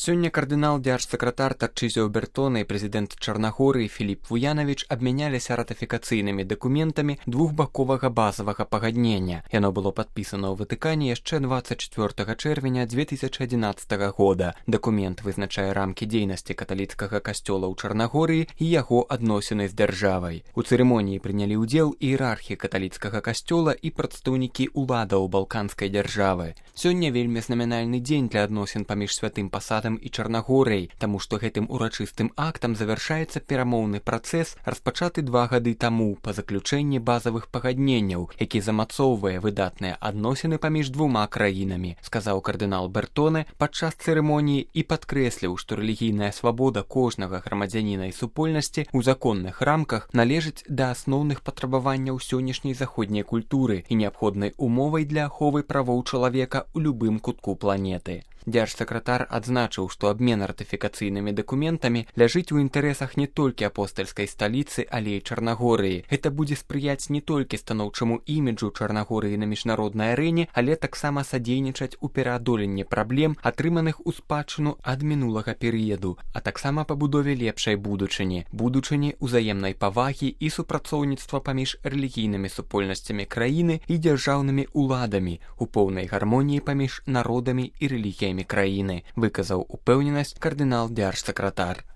Сёння кардынал дзяржсакратар Тарчызіо Бертона і прэзідэнт Чарнагорыі Філіп Вуянавіч абмяняліся ратыфікацыйнымі дакументамі двухбаковага базавага пагаднення. Яно было падпісана ў Ватыкане яшчэ 24 чэрвеня 2011 года. Дакумент вызначае рамкі дзейнасці каталіцкага касцёла ў Чарнагорыі і яго адносіны з дзяржавай. У цырымоніі прынялі ўдзел іерархі каталіцкага касцёла і прадстаўнікі уладаў балканскай дзяржавы. Сёння вельмі знамянальны дзень для адносін паміж святым пасадам і Чарнагорыяй, таму што гэтым урачыстым актам завяршаецца перамоўны працэс, распачаты 2 гады таму па заключэнні базавых пагадненняў, які замацоўвае выдатныя адносіны паміж двума краінамі, сказаў кардынал Бертоне падчас цырымоніі і падкрэсліў, што рэлігійная свабода кожнага грамадзяніна і супольнасці ў законных рамках належыць да асноўных патрабаванняў сённяшняй заходняй культуры і неабходнай умовай для аховы правоў чалавека ў любым кутку планеты. Дзяржсакратар адзначыў, што абмен ратыфікацыйнымі дакументамі ляжыць у інтарэсах не толькі апостальскай сталіцы, але і Чарнагорыі. Гэта будзе спрыяць не толькі станоўчаму іміджу Чарнагорыі на міжнароднай арэне, але таксама садзейнічаць у пераадоленні праблем, атрыманых у спадчыну ад мінулага перыяду, а таксама пабудове лепшай будучыні ўзаемнай павагі і супрацоўніцтва паміж рэлігійнымі супольнасцямі краіны і дзяржаўнымі уладамі у поўнай гармоніі паміж народамі і рэлігіямі краіны, выказаў упэўненасць кардынал дзяржсакратар.